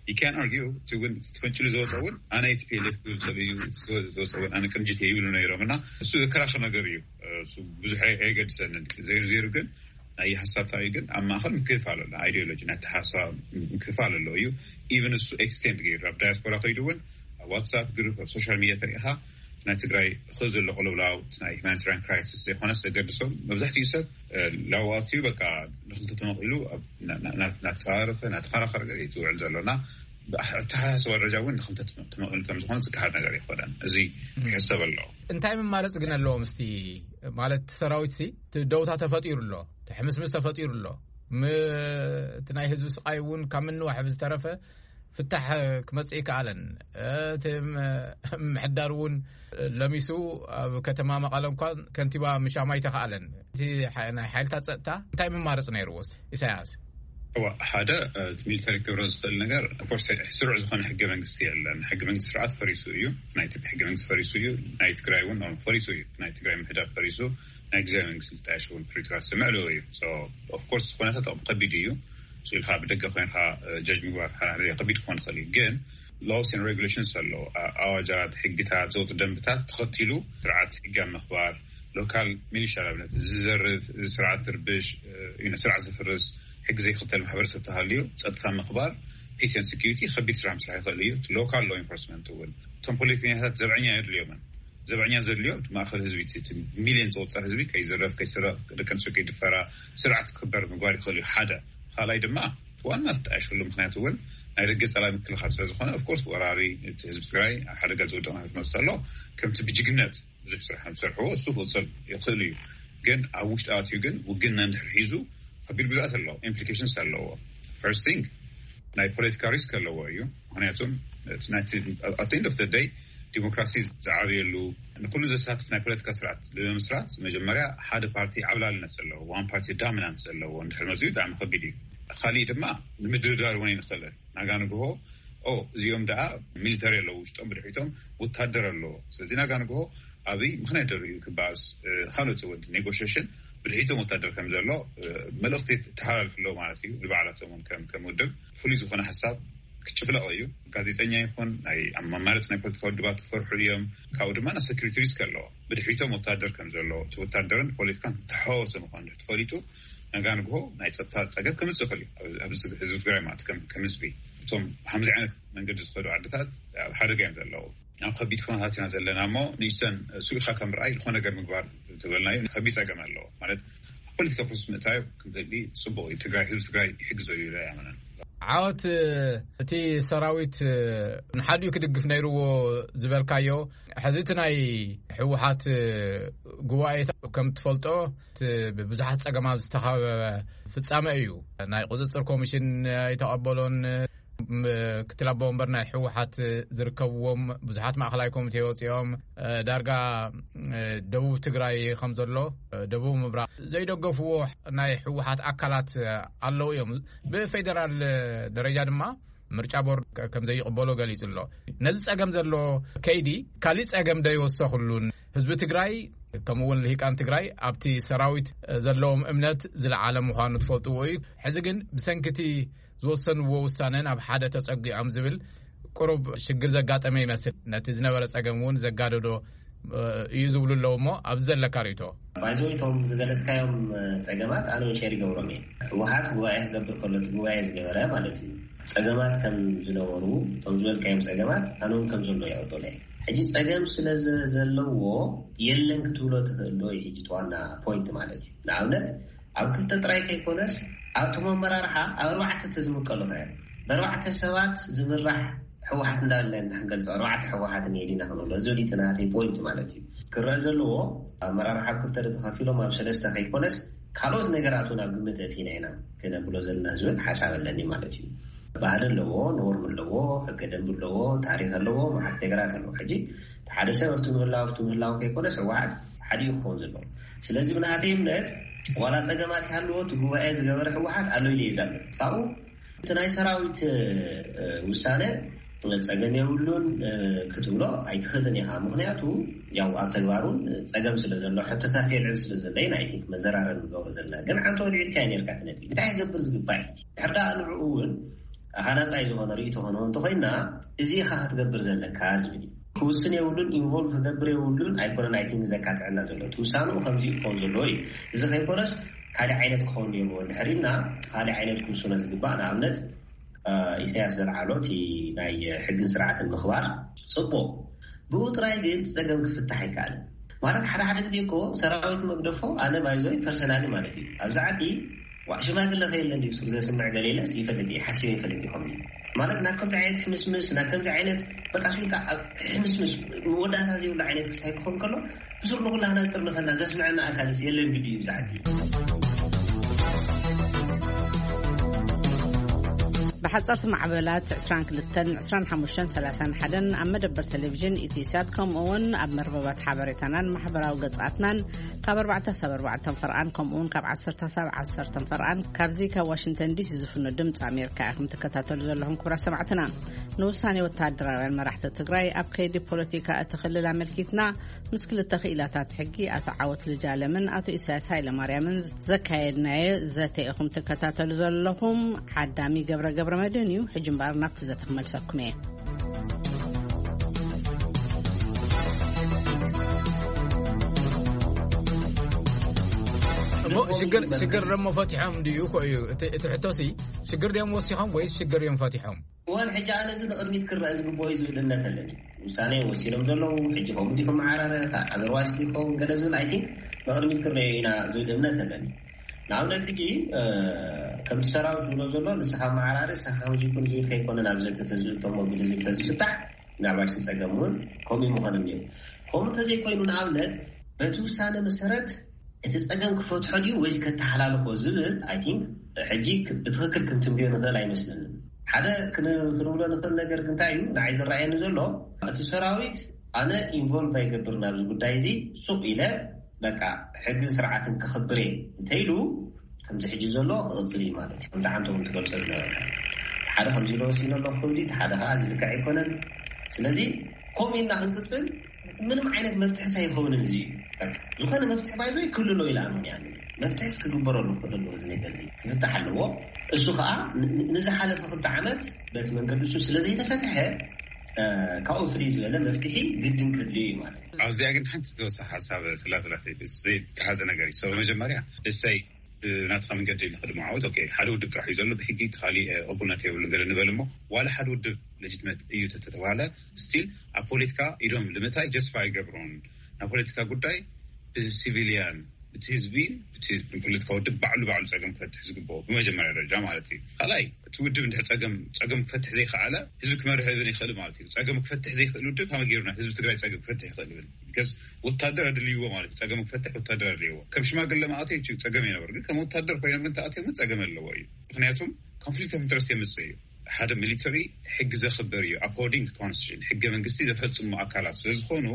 you can argue እቲ እውን ተፈንጭሉ ዝወፀ እውን ኣነ ቲ ፒ ኤል ኤፍ ዝብል ሰብ እዩ ዝወፀ እውን ኣነ ቅንጅት እየ ይብሉ ነይሮም እና እሱ ዘከራኸር ነገር እዩ። ብዙሕ ኣይገድሰንን። ዘይሩ ዘይሩ ግን ናይ ሓሳብ ታዩ ግን ኣብ ማእኸል ምክፍፋል ኣሎ። ኣይዲዮሎጂ ናይ ተሓሳብ ምክፍፋል ኣሎ እዩ። ኢቨን እሱ ኤክስቴንድ ገይሩ ኣብ ዳያስፖራ ከይዱ እውን ኣብ ዋትሳፕ ግሩፕ ኣብ ሶሻል ሚዲያ ተሪኢኻ ናይ ትግራይ ኸ ዘሎ ቅልውላው ናይ ሁማኒታሪያን ክራይሲስ ዘይኮነስ ዘገድሶም መብዛሕትኡ ሰብ ላዋትዩ በቃ ንክልተ ተመቂሉ ናተፃረፈ ናተኸራኸረ ገ ዝውዕል ዘሎና ኣተሓሳስባ ደረጃ እውን ንክልተ ተመቂሉ ከምዝኾነ ዝከሓድ ነገር ይኮነን። እዚ ክሕሰብ ኣለዎ። እንታይ መማረፂ ግን ኣለዎም? እስቲ ማለት ሰራዊት ሲ ደውታ ተፈጢሩ ኣሎ፣ ሕምስምስ ተፈጢሩ ኣሎ። እቲ ናይ ህዝቢ ስቃይ እውን ካብ ምንዋሕ ብዝተረፈ ፍታሕ ክመፅእ ይከኣለን። እቲ ምሕዳር እውን ለሚሱ ኣብ ከተማ መቐለ እንኳን ከንቲባ ምሻማ ይተኸኣለን። እቲ ናይ ሓይልታት ፀጥታ እንታይ መማረፂ ነይርዎ? ኢሳያስ እዋ ሓደ ሚሊተሪ ክብረ ዝኽእል ነገር ስሩዕ ዝኾነ ሕገ መንግስቲ የለን። ሕገ መንግስቲ ስርዓት ፈሪሱ እዩ። ናይ ኢትዮጵያ ሕገ መንግስቲ ፈሪሱ እዩ። ናይ ትግራይ እውን ፈሪሱ እዩ። ናይ ትግራይ ምሕዳር ፈሪሱ ናይ ግዜ መንግስቲ ልጣየሽ እውን ፕሪቶሪያ ስምዕልዎ እዩ። ኦፍኮርስ ዝኾነታት ከቢድ እዩ። ኢልካ ብደገ ኮይንካ ጀጅ ምግባር ሓራሪ ከቢድ ክኾን ይኽእል እዩ። ግን ሎስ ን ሬጉሌሽንስ ኣለዎ። ኣዋጃት፣ ሕግታት፣ ዘውጡ ደንብታት ተኸቲሉ ስርዓት ሕጊ ኣብ ምኽባር ሎካል ሚሊሻ ንኣብነት ዝዘርፍ ስርዓት ትርብሽ ስርዓት ዝፍርስ ሕጊ ዘይክተል ማሕበረሰብ ተሃልዩ ፀጥታ ምኽባር ፒስ ን ሴኪሪቲ ከቢድ ስራሕ ምስራሕ ይኽእል እዩ። ሎካል ሎ ኢንፎርስመንት እውን እቶም ፖለቲከኛታት ዘብዐኛ የድልዮምን ዘብዐኛ ዘድልዮ ማእኸል ህዝቢ ሚሊዮን ዝቁፀር ህዝቢ ከይዝረፍ ከይስረቕ ደቂ ኣንስትዮ ከይድፈራ ስርዓት ክክበር ምግባር ይኽእል እዩ። ሓደ ካልኣይ ድማ ዋና ተጣየሽሉ ምክንያት እውን ናይ ደገ ፀላኢ ምክልኻል ስለዝኾነ ኦፍኮርስ ወራሪ ህዝቢ ትግራይ ኣብ ሓደጋ ዝወደቕ ክመፅእ ኣሎ ከምቲ ብጅግነት ብዙሕ ስራሕ ዝሰርሕዎ እሱ ክቕፅል ይኽእል እዩ። ግን ኣብ ውሽጢ ኣትዩ ግን ውግና እንድሕር ሒዙ ከቢድ ጉድኣት ኣለዎ፣ ኢምፕሊኬሽንስ ኣለዎ። ፈርስት ቲንግ ናይ ፖለቲካ ሪስክ ኣለዎ እዩ። ምክንያቱም ኣት ኤንድ ኦፍ ደይ ዲሞክራሲ ዝዓብየሉ ንኩሉ ዘሳትፍ ናይ ፖለቲካ ስርዓት ንምምስራት መጀመርያ ሓደ ፓርቲ ዓብላልነት ዘለዎ ዋን ፓርቲ ዳሚናንት ዘለዎ እንድሕር መፅኡ ብጣዕሚ ከቢድ እዩ። ካሊእ ድማ ንምድርዳር እውን ኣይንኽእልን። ናጋ ንግሆ እዚኦም ደኣ ሚሊተሪ ኣለዉ ውሽጦም ብድሕሪቶም ወታደር ኣለዎ። ስለዚ ናጋ ንግሆ ኣብይ ምክንያት ደርእዩ ክበኣስ ካልኦት ወዲ ኔጎሽሽን ብድሒቶም ወታደር ከም ዘሎ መልእኽቲ ተሓላልፍ ኣለዉ ማለት እዩ። ንባዕላቶም እውን ከም ከም ውድብ ፍሉይ ዝኾነ ሓሳብ ክጭፍለቕ እዩ። ጋዜጠኛ ይኹን ናይ ኣማማርፅ ናይ ፖለቲካ ውድባት ክፈርሑ እዮም። ካብኡ ድማ ናይ ሰኪሪቲ ሪስክ ኣለዎ። ብድሒቶም ወታደር ከም ዘሎ፣ እቲ ወታደርን ፖለቲካን ተሓዋወሰ ምኳኑ ተፈሊጡ፣ ነጋ ንግሆ ናይ ፀጥታ ፀገም ክምፅእ ይኽእል እዩ። ኣብዚ ህዝቢ ትግራይ ማለት ከም ከም ህዝቢ እቶም ብከምዚ ዓይነት መንገዲ ዝኸዱ ዓድታት ኣብ ሓደጋ እዮም ዘለዉ። ኣብ ከቢድ ኩነታት ኢና ዘለና እሞ ንእሽተን ስኢልካ ከም ርኣይ ዝኾነ ነገር ምግባር ዝበልናዩ ከቢድ ፀገም ኣለዎ። ማለት ኣብ ፖለቲካ ፕሮሰስ ምእታዩ ክምዘሊ ፅቡቅ እዩ። ትግራይ ህዝቢ ትግራይ ይሕግዞ እዩ ኢለ ያመነን። ዓወት እቲ ሰራዊት ንሓዲኡ ክድግፍ ነይርዎ ዝበልካዮ፣ ሕዚ እቲ ናይ ህወሓት ጉባኤ ከም ትፈልጦ እቲ ብብዙሓት ፀገማት ዝተኸበበ ፍጻመ እዩ። ናይ ቁፅፅር ኮሚሽን ኣይተቐበሎን። ምክትል ኣቦ ወንበር ናይ ህወሓት ዝርከብዎም ብዙሓት ማእኸላይ ኮሚቴ ወፂኦም፣ ዳርጋ ደቡብ ትግራይ ከም ዘሎ፣ ደቡብ ምብራቕ ዘይደገፍዎ ናይ ህወሓት ኣካላት ኣለዉ እዮም። ብፌደራል ደረጃ ድማ ምርጫ ቦርድ ከም ዘይቕበሎ ገሊጹ ኣሎ። ነዚ ጸገም ዘሎ ከይዲ ካሊእ ጸገም ዶ ይወሰኽሉን? ህዝቢ ትግራይ ከምኡ እውን ልሂቃን ትግራይ ኣብቲ ሰራዊት ዘለዎም እምነት ዝለዓለ ምዃኑ ትፈልጥዎ እዩ። ሕዚ ግን ብሰንኪ እቲ ዝወሰንዎ ውሳነ ናብ ሓደ ተጸጊዖም ዝብል ቁሩብ ሽግር ዘጋጠመ ይመስል። ነቲ ዝነበረ ጸገም እውን ዘጋደዶ እዩ ዝብሉ ኣለዉ። እሞ ኣብዚ ዘለካ ርእይቶ? ባይዞ እቶም ዝገለጽካዮም ጸገማት ኣነ እውን ሸር ይገብሮም እየ። ህወሓት ጉባኤ ክገብር ከሎ እቲ ጉባኤ ዝገበረ ማለት እዩ፣ ጸገማት ከም ዝነበሩ፣ እቶም ዝበልካዮም ጸገማት ኣነ እውን ከም ዘሎ ይቕበሎ እየ። ሕጂ ጸገም ስለ ዘ- ዘለዎ የለን ክትብሎ ትኽእል ዶ እዩ? ሕጂ እቲ ዋና ፖይንት ማለት እዩ። ንኣብነት ኣብ ክልተ ጥራይ ከይኮነስ ኣብቶም ኣመራርሓ ኣብ ኣርባዕተ ተዝምቀሉ ኸ? ብኣርባዕተ ሰባት ዝምራሕ ህወሓት እንዳለ ንክንገልፅ ኣርባዕተ ህወሓት እኒሄ ዲና ክንብሎ፣ እዚ ዲቲ ናተይ ፖይንት ማለት እዩ። ክረአ ዘለዎ ኣመራርሓ ኣብ ክልተ ተኸፊሎም ኣብ ሰለስተ ከይኮነስ ካልኦት ነገራት እውን ኣብ ግምት ኣእቲና ኢና ክነብሎ ዘለና ዝብል ሓሳብ ኣለኒ ማለት እዩ። ባህሊ ኣለዎ፣ ኖርም ኣለዎ፣ ሕገ ደንብ ኣለዎ፣ ታሪክ ኣለዎ፣ መዓት ነገራት ኣለዎ። ሕጂ ሓደ ሰብ ኣብቲ ምህላው ኣብቲ ምህላው ከይኮነስ ህወሓት ሓዲኡ ክኸውን ዘለዎ። ስለዚ ብናተይ እምነት ዋላ ፀገማት ይሃልዎ እቲ ጉባኤ ዝገበረ ህወሓት ኣሎ ኢለ እየ ዝኣምን። ካብኡ እቲ ናይ ሰራዊት ውሳነ ፀገም የብሉን ክትብሎ ኣይትኽእልን ኢኻ። ምክንያቱ ያው ኣብ ተግባሩን ፀገም ስለ ዘሎ፣ ሕቶታት የልዕል ስለ ዘሎ ናይ ቲንክ መዘራረብ ንገብሮ ዘለና። ግን ዓንቶ ልዒልካ ነርካ ትነጥቢ እንታይ ክገብር ዝግባእ ድሕር ዳ ንዕኡ እውን ሃናፃይ ዝኾነ ርእይቶ ኾነ እንተኾይና እዚ ኢኻ ክትገብር ዘለካ ዝብል እዩ። ክውስን የብሉን፣ ኢንቮልቭ ክገብር የብሉን ኣይኮነን። ኣይ ቲንክ ዘካትዐና ዘሎ እቲ ውሳንኡ ከምዚ ክኸውን ዘለዎ እዩ። እዚ ከይኮነስ ካልእ ዓይነት ክኸውን ነይርዎ እንድሕር ኢልና ካልእ ዓይነት ክውስኖ ዝግባእ ንኣብነት ኢሳያስ ዘልዓሎ እቲ ናይ ሕግን ስርዓትን ምኽባር ጽቡቕ፣ ብኡ ጥራይ ግን ጸገም ክፍታሕ ኣይከኣልን። ማለት ሓደ ሓደ ግዜ እኮ ሰራዊት መግደፎ ኣነ ባይዞይ ፐርሰናሊ ማለት እዩ ኣብዚ ዓዲ ዋዕ ሽማግለ ከየለ እንዲ ሱር ዘስምዕ ገሌለ ይፈልጥ እየ ሓሲበ ይፈልጥ ይኾን ማለት ናብ ከምዚ ዓይነት ሕምስምስ ናብ ከምዚ ዓይነት በቃ ሱልካ ኣብ ሕምስምስ መወዳእታ ዘይብሉ ዓይነት ክሳይ ክኾን ከሎ ብሱር ንኩላህና ጥርንፈና ዘስምዐና ኣካልስ የለን ግዲ እዩ ኣብዚ ዓዲ። ብሓጻርቲ ማዕበላት ዕስራን ክልተን ዕስራን ሓሙሽተን ሰላሳን ሓደን ኣብ መደበር ቴሌቪዥን ኢትዮ ሳት ከምኡ እውን ኣብ መርበባት ሓበሬታናን ማሕበራዊ ገጻትናን ካብ ኣርባዕተ ክሳብ ኣርባዕተ ፈርቓን ከምኡ እውን ካብ ዓሰርተ ክሳብ ዓሰርተ ፈርቓን ካብዚ ካብ ዋሽንግተን ዲሲ ዝፍኖ ድምፂ ኣሜሪካ ኢኹም ትከታተሉ ዘለኹም ክቡራት ሰማዕትና። ንውሳኔ ወታደራውያን መራሕቲ ትግራይ ኣብ ከይዲ ፖለቲካ እቲ ክልል ኣመልኪትና ምስ ክልተ ክኢላታት ሕጊ ኣቶ ዓወት ልጃለምን ኣቶ ኢሳያስ ሃይለማርያምን ዘካየድናዮ ዘተ ኢኹም ትከታተሉ ዘለኹም። ዓዳሚ ገብረ ገብረ መድህን እዩ። ሕጂ እምበኣር ናብቲ ዘተ ክመልሰኩም እየ። እሞ ሽግር ሽግር ደሞ ፈቲሖም ድዩ እኮ እዩ እቲ እቲ ሕቶሲ? ሽግር ድዮም ወሲኾም ወይስ ሽግር እዮም ፈቲሖም? እዋን ሕጂ ኣነ እዚ ንቕድሚት ክረአ ዝግብኦ እዩ ዝብል እምነት ኣለኒ። ውሳኔ ወሲኖም ዘለዉ ሕጂ ከምኡ ድዩ ክመዓራረ ኣዘርዋይስ ድዩ ክኸውን ገለ ዝብል ኣይ ቲንክ ንቕድሚት ክረአ ኢና ዝብል እምነት ኣለኒ። ንኣብነት ሕጂ ከምቲ ሰራዊት ዝብሎ ዘሎ ንስኻ መዓራሪ ንስኻ ከምዚ ይኩን ዝብል ከይኮነ ናብ ዘተ ተዝእተሞ ግዲ ዝብል ተዝፍታሕ ምናልባት እቲ ጸገም እውን ከምኡ ምኾነ ነይሩ። ከምኡ እንተዘይኮይኑ ንኣብነት በቲ ውሳነ መሰረት እቲ ጸገም ክፈትሖ ድዩ ወይስ ከተሓላልኾ ዝብል ኣይ ቲንክ ሕጂ ብትኽክል ክንትንብዮ ንኽእል ኣይመስለንን። ሓደ ክንብሎ ንኽእል ነገር እንታይ እዩ ንዓይ ዝረኣየኒ ዘሎ እቲ ሰራዊት ኣነ ኢንቮልቭ ኣይገብር ናብዚ ጉዳይ እዚ ሱቕ ኢለ በቃ ሕግን ስርዓትን ክኽብር እየ እንተኢሉ ከምዚ ሕጂ ዘሎ ክቕፅል እዩ ማለት እዩ። ከምዚ ዓንተ እውን ትገልፆ ዝነበርካ ሓደ ከምዚ ኢሎ ወሲኖ ኣለኹ ክብል እዩ፣ ሓደ ከዓ እዚ ልክዕ ኣይኮነን። ስለዚ ከምኡ ኢልና ክንቅፅል ምንም ዓይነት መፍትሒ ሳይኸውንን እዚ ዝኾነ መፍትሒ ባይዞ ክልሎ ኢላ ኣምንያ መፍትሒ ክግበረሉ ክኽእል ኣለዎ። እዚ ነገር እዚ ክፍታሕ ኣለዎ። እሱ ከዓ ን- ን- ንዝሓለፈ ክልተ ዓመት በቲ መንገዲ እሱ ስለ ዘይተፈትሐ፣ እ፣ ካብኡ ፍልይ ዝበለ መፍትሒ ግድን ክህልዩ እዩ ማለት እዩ። ኣብዚኣ ግን ሓንቲ ዝተወሰነ ሓሳብ ስላትላት ዘይተሓዘ ነገር እዩ። So መጀመርያ እሰይ ብናትካ መንገዲ ንክድመዓወት፣ ኦኬ፣ ሓደ ውድብ ጥራሕ እዩ ዘሎ፣ ብሕጊ እቲ ካሊእ ቅቡልነት የብሉን ገለ ንበል እሞ፣ ዋላ ሓደ ውድብ ሌጂትመት እዩ ተተባለ፣ ስቲል ኣብ ፖለቲካ ኢዶም ልምታይ ጀስቲፋይ ይገብሮን። ናብ ፖለቲካ ጉዳይ ብሲቪሊያን፣ ብቲ ህዝቢ፣ ብቲ ፖለቲካ ውድብ ባዕሉ ባዕሉ ጸገም ክፈትሕ ዝግብኦ ብመጀመርያ ደረጃ ማለት እዩ። ካልኣይ፣ እቲ ውድብ እንድሕር ጸገም ጸገም ክፈትሕ ዘይከኣለ፣ ህዝቢ ክመርሕ እውን ይኽእል ማለት እዩ። ጸገም ክፈትሕ ዘይክእል ውድብ ከመይ ገይሩ ናብ ህዝቢ ትግራይ ጸገም ክፈትሕ ይኽእል ይብል? ቢካዝ ወታደር ኣድልይዎ ማለት እዩ። ጸገም ክፈትሕ ወታደር ኣድልይዎ። ከም ሽማግለ ማእተይ ችግ ጸገም ይነበር፣ ግን ከም ወታደር ኮይኖም ግን ተኣትዮም ግን ጸገም ኣለዎ እዩ። ምክንያቱም ኮንፍሊክት ኦፍ ኢንትረስት የምጽእ እዩ። ሓደ ሚሊተሪ ሕጊ ዘኽብር እዩ፣ ኣኮርዲንግ ኮንስቲቱሽን፣ ሕገ መንግስቲ ዘፈጽሙ ኣካላት ስለ ዝኾኑ፣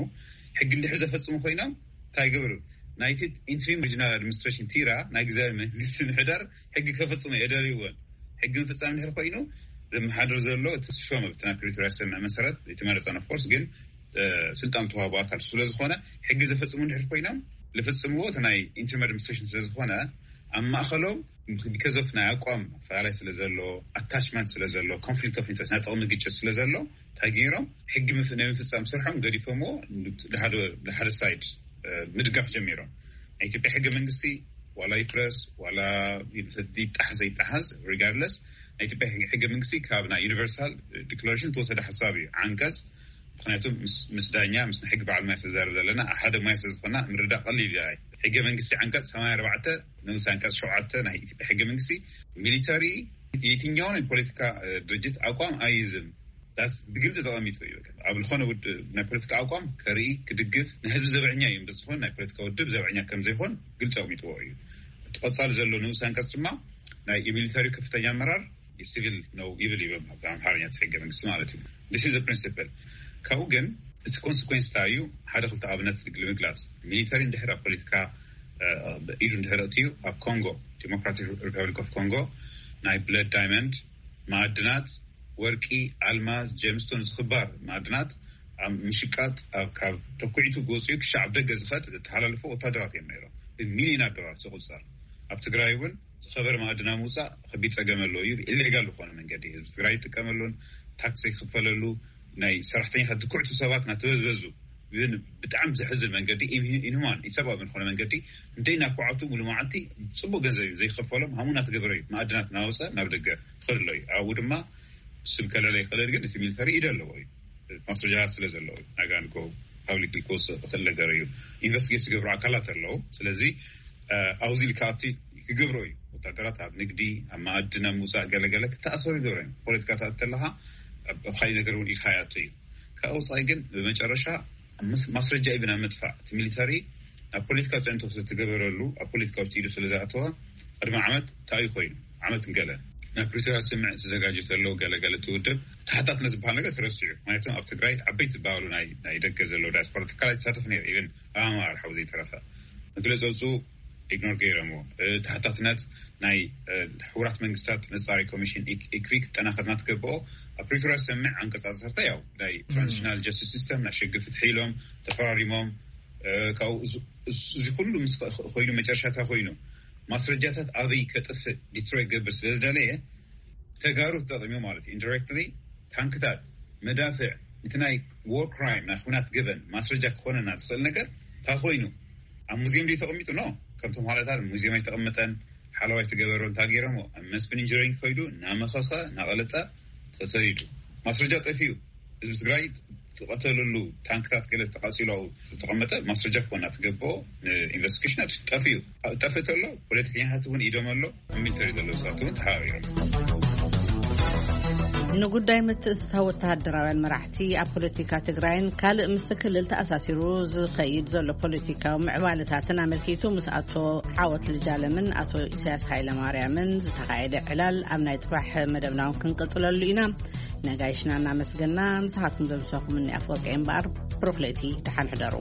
ሕጊ እንድሕር ዘፈጽሙ ኮይኖም እንታይ ይገብር? ናይቲ ኢንትሪም ሪጅናል ኣድሚኒስትሬሽን፣ ቲራ፣ ናይ ግዛዊ መንግስቲ ምሕዳር ሕጊ ከፈጽሙ የደልይዎን። ሕጊ ምፍጻም እንድሕር ኮይኑ፣ ዘመሓድር ዘሎ እቲ ዝሾመ፣ ብቲ ናይ ፕሪቶርያ ስምምዕ መሰረት፣ የተመረጸን ኦፍኮርስ፣ ግን ስልጣን ተዋህቦ ኣካል ስለ ዝኾነ፣ ሕጊ ዘፈጽሙ እንድሕር ኮይኖም፣ ዝፍጽምዎ እቲ ናይ ኢንትሪም ኣድሚኒስትሬሽን ስለ ዝኾነ፣ ኣብ ማእኸሎም ቢካዝ ኦፍ ናይ ኣቋም ኣፈላላይ ስለ ዘሎ፣ ኣታችመንት ስለ ዘሎ፣ ኮንፍሊክት ኦፍ ኢንትረስት፣ ናይ ጥቕሚ ግጭት ስለ ዘሎ፣ እንታይ ገይሮም? ሕጊ ምፍ- ናይ ምፍጻም ስርሖም ገዲፎምዎ፣ ንሓደ ንሓደ ሳይድ ምድጋፍ ጀሚሮም። ናይ ኢትዮጵያ ሕገ መንግስቲ ዋላ ይፍረስ ዋላ ይጣሓስ ዘይጣሓስ፣ ሪጋርድለስ፣ ናይ ኢትዮጵያ ሕገ መንግስቲ ካብ ናይ ዩኒቨርሳል ዲክላሬሽን ተወሰደ ሓሳብ እዩ። ዓንቀጽ፣ ምክንያቱ ምስ ዳኛ ምስ ሕጊ በዓል ማይ ተዛርብ ዘለና ሓደ ማይ ስለ ዝኾና ምርዳእ ቀሊል እዩ። ሕገ መንግስቲ ዓንቀጽ ሰማንያ ኣርባዕተ ንኡስ ዓንቀጽ ሸውዓተ ናይ ኢትዮጵያ ሕገ መንግስቲ፣ ሚሊተሪ የትኛውን የፖለቲካ ድርጅት ኣቋም ኣይዝም። ዳስ ብግልፂ ተቐሚጡ እዩ። ኣብ ዝኾነ ናይ ፖለቲካ ኣቋም ከርኢ ክድግፍ ንህዝቢ ዘብዕኛ እዩ። ብዝኾነ ናይ ፖለቲካ ውድብ ዘብዕኛ ከም ዘይኮን ግልፂ ኣቕሚጥዎ እዩ። እቲ ቀፃሊ ዘሎ ንኡስ ዓንቀጽ ድማ ናይ የሚሊተሪ ከፍተኛ ኣመራር የሲቪል ነው ይብል እዩ፣ ኣምሓርኛ ሕገ መንግስቲ ማለት እዩ። ስ ፕሪንሲፕል። ካብኡ ግን እቲ ኮንስኮንስ እንታይ እዩ? ሓደ ክልተ ኣብነት ንምግላፅ፣ ሚሊተሪ እንድሕር ኣብ ፖለቲካ ኢዱ እንድሕር እትዩ፣ ኣብ ኮንጎ፣ ዲሞክራቲክ ሪፐብሊክ ኦፍ ኮንጎ፣ ናይ ብለድ ዳይመንድ፣ ማዕድናት፣ ወርቂ፣ ኣልማዝ፣ ጀምስቶን፣ ዝኽባር ማዕድናት ኣብ ምሽቃጥ፣ ኣብ ካብ ተኩዒቱ ጎፅዩ ክሻዕ ኣብ ደገ ዝኸድ ዘተሓላልፎ ወታደራት እዮም ነይሮም። ብሚሊዮናት ዶላር ዝቁፀር። ኣብ ትግራይ እውን ዝኸበረ ማዕድና ምውፃእ ከቢድ ፀገም ኣለዎ እዩ። ኢሌጋል ዝኾነ መንገዲ ህዝቢ ትግራይ ይጥቀመሉን ታክስ ይክፈለሉ፣ ናይ ሰራሕተኛታት ድኩዕቱ ሰባት ናተበዝበዙ፣ ብጣዕሚ ዘሕዝን መንገዲ፣ ኢንሁማን፣ ኢሰብኣዊ ዝኾነ መንገዲ፣ እንደይ ናኳዓቱ ሙሉ መዓልቲ ፅቡቅ ገንዘብ እዩ ዘይከፈሎም፣ ሃሙና ትገብረ እዩ። ማዕድናት ናወፀ ናብ ደገ ክኸድ ኣሎ እዩ። ኣብኡ ድማ ስም ከለለ ይኽእል፣ ግን እቲ ሚሊተሪ ኢደ ኣለዎ እዩ። ማስረጃ ስለ ዘለዎ እዩ። ናጋንጎ ፓብሊክ ክወፅእ ዝኽእል ነገር እዩ። ኢንቨስቲጌት ዝገብሩ ኣካላት ኣለዉ። ስለዚ ኣብዚ ልካኣቲ ክገብሮ እዩ። ወታደራት ኣብ ንግዲ፣ ኣብ ማዕድን፣ ኣብ ምውፃእ ገለገለ ክተኣሰሩ ይገብሮ እዮም። ፖለቲካ ተኣት ተለካ ኣብ ካልእ ነገር እውን ኢድካ ይኣቱ እዩ። ካብ ወፃኢ ግን ብመጨረሻ ማስረጃ እዩ ብና ምጥፋእ። እቲ ሚሊተሪ ናብ ፖለቲካ ፅዕንቶ ስለተገበረሉ፣ ኣብ ፖለቲካ ውሽጢ ኢዱ ስለ ዝኣተወ፣ ቅድሚ ዓመት እንታይ እዩ ኮይኑ? ዓመት ንገለ ናብ ፕሪቶርያ ስምምዕ ተዘጋጀ ተለው ገለገለ ትውድብ ተሓታትነት ዝበሃል ነገር ተረሲዑ። ምክንያቱ ኣብ ትግራይ ዓበይቲ ዝበሃሉ ናይ ደገ ዘለዉ ዳያስፖራ ትካላት ይሳተፍ ነይሩ። ኢቨን ኣማራ ሓው ዘይተረፈ መግለፂ ወፁ ኢግኖር ገይሮምዎ። ተሓታትነት ናይ ሕቡራት መንግስታት መፃሪ ኮሚሽን ኢክሪ ክጠናኸርና ትገብኦ። ኣብ ፕሪቶርያ ዝሰምዕ ዓንቀፃ ዓሰርተ ያው ናይ ትራንዚሽናል ጀስቲስ ሲስተም ናይ ሽግ ፍትሒ ኢሎም ተፈራሪሞም። ካብኡ እዚ ኩሉ ምስ ኮይኑ መጨረሻታ ኮይኑ ማስረጃታት ኣበይ ከጥፍእ ዲትሮይ ገብር ስለ ዝደለየ ተጋሩ ተጠቂሙ ማለት እዩ። ኢንዲሬክትሊ ታንክታት፣ መዳፍዕ፣ እቲ ናይ ዎር ክራይም ናይ ኩናት ገበን ማስረጃ ክኾነና ዝኽእል ነገር እንታይ ኮይኑ ኣብ ሙዚየም ዶ ተቐሚጡ? ኖ። ከምቶም ሓለታት ሙዚየም ኣይተቐመጠን። ሓለዋይ ተገበሮ እንታይ ገይሮሞ ኣብ መስፍን ኢንጂነሪንግ ከይዱ እናመኸኸ እናቐለጠ ተሰዲዱ። ማስረጃ ጠፊኡ። ህዝቢ ትግራይ ዝቐተለሉ ታንክታት ገለ ተቃፂሉ ዝተቐመጠ ማስረጃ ክኾና ትገብኦ። ንኢንቨስቲጌሽን ጠፊኡ። ጠፍእ ተሎ ፖለቲከኛታት እውን ኢዶም ኣሎ። ሚሊተሪ ዘለዉ ሰባት እውን ተሓባቢሮም። ንጉዳይ ምትእትታው ወተሃደራውያን መራሕቲ ኣብ ፖለቲካ ትግራይን ካልእ ምስ ክልል ተኣሳሲሩ ዝኸይድ ዘሎ ፖለቲካዊ ምዕባለታትን ኣመልኪቱ ምስ ኣቶ ዓወት ልጃለምን ኣቶ ኢሳያስ ሃይለማርያምን ዝተኻየደ ዕላል ኣብ ናይ ጽባሕ መደብና እውን ክንቅጽለሉ ኢና። ነጋይሽና እናመስገና፣ ምሳኻትኩም ዘምሳኹም እኒ ኣፍወርቂ እምበኣር፣ ብሩኽ ለይቲ፣ ደሓን ሕደሩ።